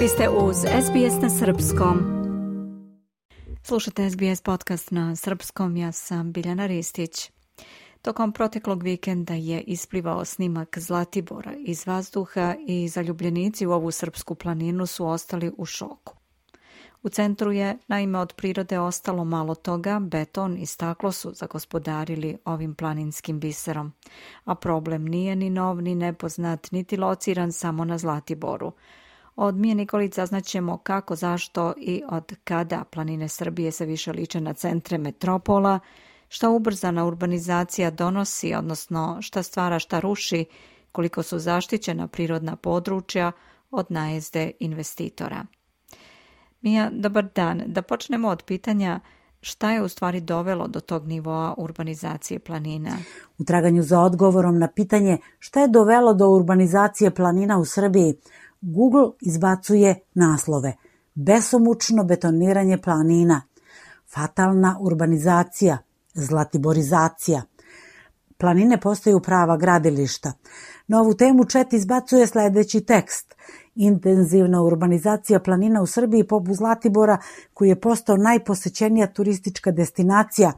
Vi ste uz SBS na Srpskom. Slušate SBS podcast na Srpskom, ja sam Biljana Ristić. Tokom proteklog vikenda je isplivao snimak Zlatibora iz vazduha i zaljubljenici u ovu srpsku planinu su ostali u šoku. U centru je, naime, od prirode ostalo malo toga, beton i staklo su zagospodarili ovim planinskim biserom. A problem nije ni nov, ni nepoznat, niti lociran samo na Zlatiboru. Od Mije Nikolić saznaćemo kako, zašto i od kada planine Srbije se više liče na centre metropola, šta ubrzana urbanizacija donosi, odnosno šta stvara, šta ruši, koliko su zaštićena prirodna područja od najezde investitora. Mija, dobar dan. Da počnemo od pitanja šta je u stvari dovelo do tog nivoa urbanizacije planina? U traganju za odgovorom na pitanje šta je dovelo do urbanizacije planina u Srbiji, Google izbacuje naslove: besomučno betoniranje planina, fatalna urbanizacija, zlatiborizacija. Planine postaju prava gradilišta. Na ovu temu chat izbacuje sledeći tekst: intenzivna urbanizacija planina u Srbiji poput Zlatibora, koji je postao najposećenija turistička destinacija,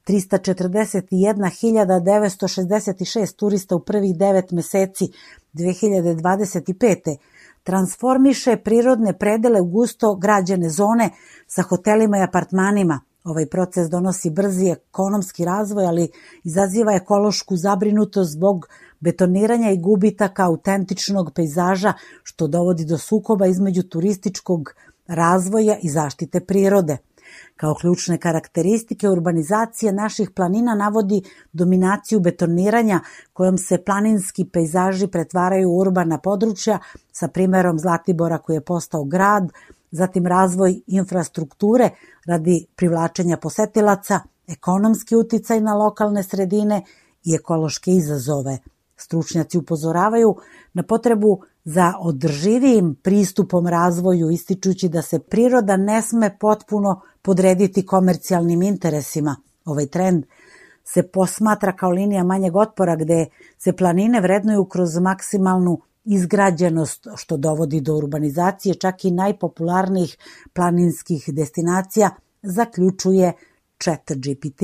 341.966 turista u prvih 9 meseci 2025. transformiše prirodne predele u gusto građene zone sa hotelima i apartmanima. Ovaj proces donosi brzi ekonomski razvoj, ali izaziva ekološku zabrinutost zbog betoniranja i gubitaka autentičnog pejzaža, što dovodi do sukoba između turističkog razvoja i zaštite prirode. Kao ključne karakteristike urbanizacije naših planina navodi dominaciju betoniranja kojom se planinski pejzaži pretvaraju u urbana područja, sa primerom Zlatibora koji je postao grad, zatim razvoj infrastrukture radi privlačenja posetilaca, ekonomski uticaj na lokalne sredine i ekološke izazove. Stručnjaci upozoravaju na potrebu za održivijim pristupom razvoju, ističući da se priroda ne sme potpuno podrediti komercijalnim interesima. Ovaj trend se posmatra kao linija manjeg otpora, gde se planine vrednuju kroz maksimalnu izgrađenost, što dovodi do urbanizacije čak i najpopularnijih planinskih destinacija, zaključuje ChatGPT.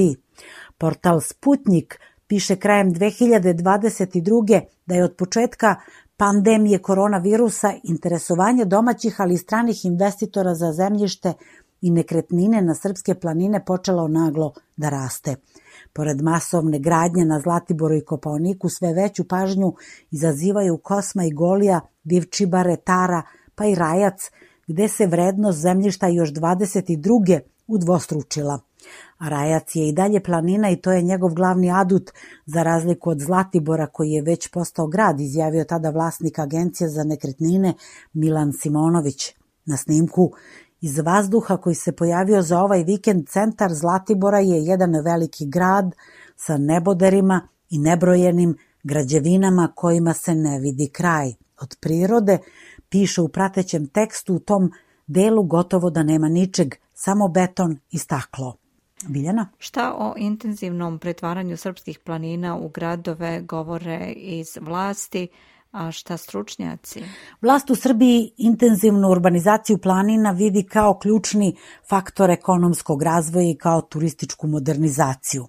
Portal Sputnik piše krajem 2022. da je od početka pandemije koronavirusa interesovanje domaćih, ali i stranih investitora za zemljište i nekretnine na srpske planine počelo naglo da raste. Pored masovne gradnje na Zlatiboru i Kopaoniku, sve veću pažnju izazivaju Kosma i Golija, Divčibare, Tara, pa i Rajac, gde se vrednost zemljišta još 22. udvostručila. A Rajac je i dalje planina i to je njegov glavni adut, za razliku od Zlatibora koji je već postao grad, izjavio tada vlasnik agencije za nekretnine Milan Simonović. Na snimku iz vazduha koji se pojavio za ovaj vikend, centar Zlatibora je jedan veliki grad sa neboderima i nebrojenim građevinama kojima se ne vidi kraj. Od prirode, piše u pratećem tekstu, u tom delu gotovo da nema ničeg, samo beton i staklo. Biljana? Šta o intenzivnom pretvaranju srpskih planina u gradove govore iz vlasti, a šta stručnjaci? Vlast u Srbiji intenzivnu urbanizaciju planina vidi kao ključni faktor ekonomskog razvoja i kao turističku modernizaciju.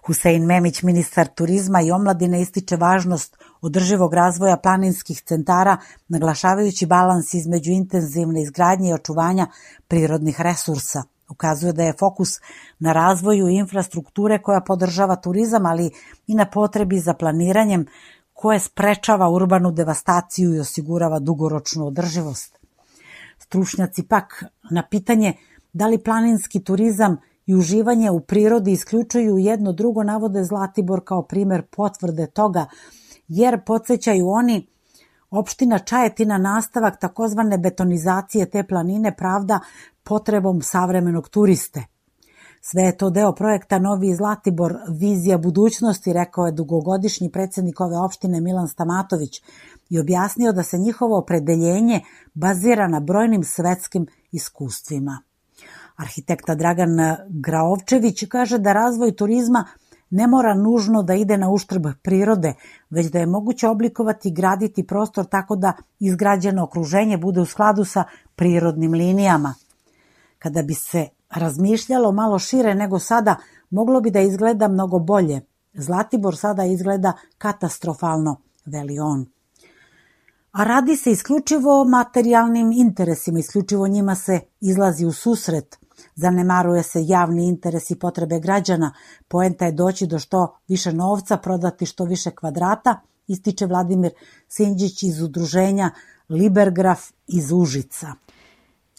Husein Memić, ministar turizma i omladine, ističe važnost održivog razvoja planinskih centara, naglašavajući balans između intenzivne izgradnje i očuvanja prirodnih resursa. Ukazuje da je fokus na razvoju infrastrukture koja podržava turizam, ali i na potrebi za planiranjem koje sprečava urbanu devastaciju i osigurava dugoročnu održivost. Stručnjaci pak na pitanje da li planinski turizam i uživanje u prirodi isključuju jedno drugo navode Zlatibor kao primer potvrde toga, jer podsjećaju oni, opština Čajetina nastavak takozvane betonizacije te planine pravda potrebom savremenog turiste. Sve je to deo projekta Novi Zlatibor, vizija budućnosti, rekao je dugogodišnji predsjednik ove opštine Milan Stamatović i objasnio da se njihovo opredeljenje bazira na brojnim svetskim iskustvima. Arhitekta Dragan Graovčević kaže da razvoj turizma ne mora nužno da ide na uštrb prirode, već da je moguće oblikovati i graditi prostor tako da izgrađeno okruženje bude u skladu sa prirodnim linijama. Kada bi se razmišljalo malo šire nego sada, moglo bi da izgleda mnogo bolje. Zlatibor sada izgleda katastrofalno, veli on. A radi se isključivo o materijalnim interesima, isključivo njima se izlazi u susret. Zanemaruje se javni interes i potrebe građana. Poenta je doći do što više novca, prodati što više kvadrata, ističe Vladimir Sinđić iz udruženja Libergraf iz Užica.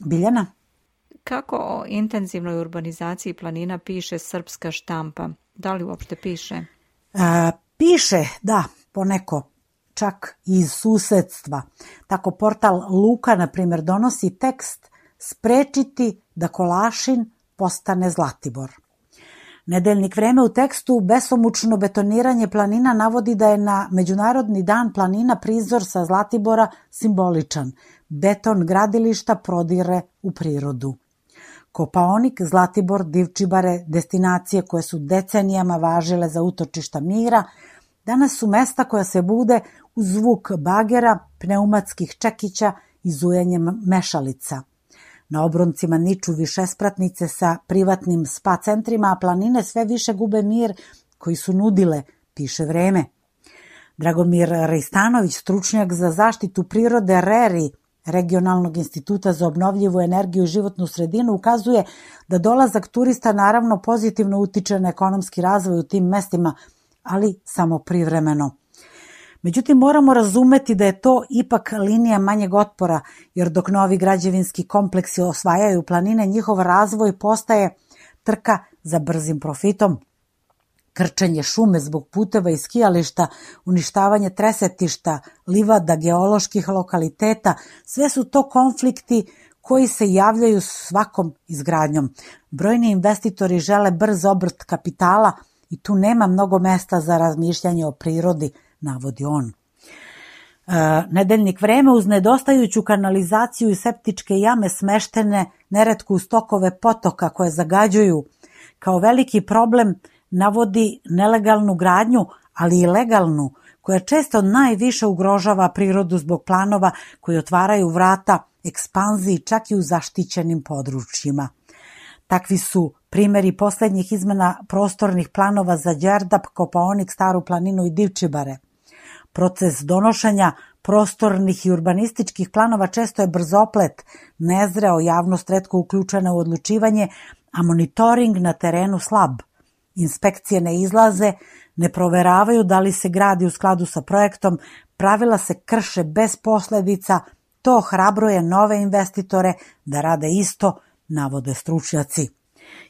Biljana? Kako o intenzivnoj urbanizaciji planina piše srpska štampa? Da li uopšte piše? Piše, da, poneko, čak iz susedstva. Tako portal Luka, na primjer, donosi tekst Sprečiti da Kolašin postane Zlatibor. Nedeljnik Vreme u tekstu besomučno betoniranje planina navodi da je na Međunarodni dan planina prizor sa Zlatibora simboličan. Beton gradilišta prodire u prirodu. Kopaonik, Zlatibor, Divčibare, destinacije koje su decenijama važile za utočišta mira, danas su mesta koja se bude uz zvuk bagera, pneumatskih čekića i zujenjem mešalica. Na obroncima niču višespratnice sa privatnim spa centrima, a planine sve više gube mir koji su nudile, piše Vreme. Dragomir Rejstanović, stručnjak za zaštitu prirode RERI, Regionalnog instituta za obnovljivu energiju i životnu sredinu, ukazuje da dolazak turista naravno pozitivno utiče na ekonomski razvoj u tim mestima, ali samo privremeno. Međutim, moramo razumeti da je to ipak linija manjeg otpora, jer dok novi građevinski kompleksi osvajaju planine, njihov razvoj postaje trka za brzim profitom. Krčenje šume zbog puteva i skijališta, uništavanje tresetišta, livada, geoloških lokaliteta, sve su to konflikti koji se javljaju svakom izgradnjom. Brojni investitori žele brz obrt kapitala i tu nema mnogo mesta za razmišljanje o prirodi, navodi on. Nedeljnik Vreme uz nedostajuću kanalizaciju i septičke jame smeštene neretko uz tokove potoka koje zagađuju. Kao veliki problem navodi nelegalnu gradnju, ali i legalnu, koja često najviše ugrožava prirodu zbog planova koji otvaraju vrata ekspanziji čak i u zaštićenim područjima. Takvi su primjeri posljednjih izmena prostornih planova za Đerdap, Kopaonik, Staru planinu i Divčibare. Proces donošenja prostornih i urbanističkih planova često je brzoplet, nezreo, javnost retko uključena u odlučivanje, a monitoring na terenu slab. Inspekcije ne izlaze, ne proveravaju da li se gradi u skladu sa projektom, pravila se krše bez posljedica, to ohrabruje nove investitore da rade isto, navode stručnjaci.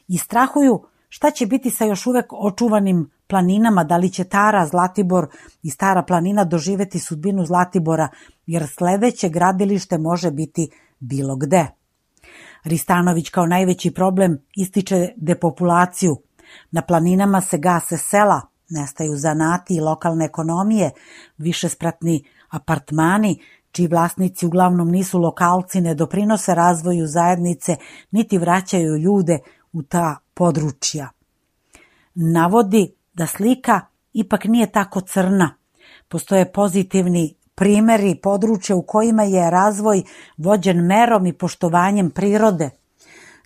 I strahuju šta će biti sa još uvek očuvanim planinama, da li će Tara, Zlatibor i Stara planina doživeti sudbinu Zlatibora, jer sledeće gradilište može biti bilo gde. Ristanović kao najveći problem ističe depopulaciju. Na planinama se gase sela, nestaju zanati i lokalne ekonomije, višespratni apartmani, čiji vlasnici uglavnom nisu lokalci, ne doprinose razvoju zajednice, niti vraćaju ljude u ta područja. Navodi da slika ipak nije tako crna. Postoje pozitivni primjeri područja u kojima je razvoj vođen merom i poštovanjem prirode.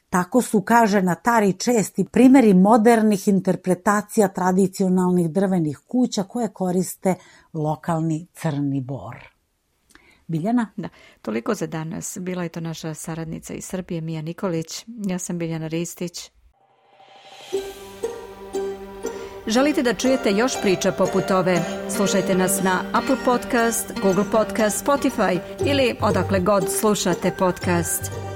Tako su, kaže, na Tari česti primjeri modernih interpretacija tradicionalnih drvenih kuća koje koriste lokalni crni bor. Biljana? Da, toliko za danas. Bila je to naša saradnica iz Srbije, Mija Nikolić. Ja sam Biljana Ristić. Želite da čujete još priča poput ove? Slušajte nas na Apple Podcast, Google Podcast, Spotify ili odakle god slušate podcast.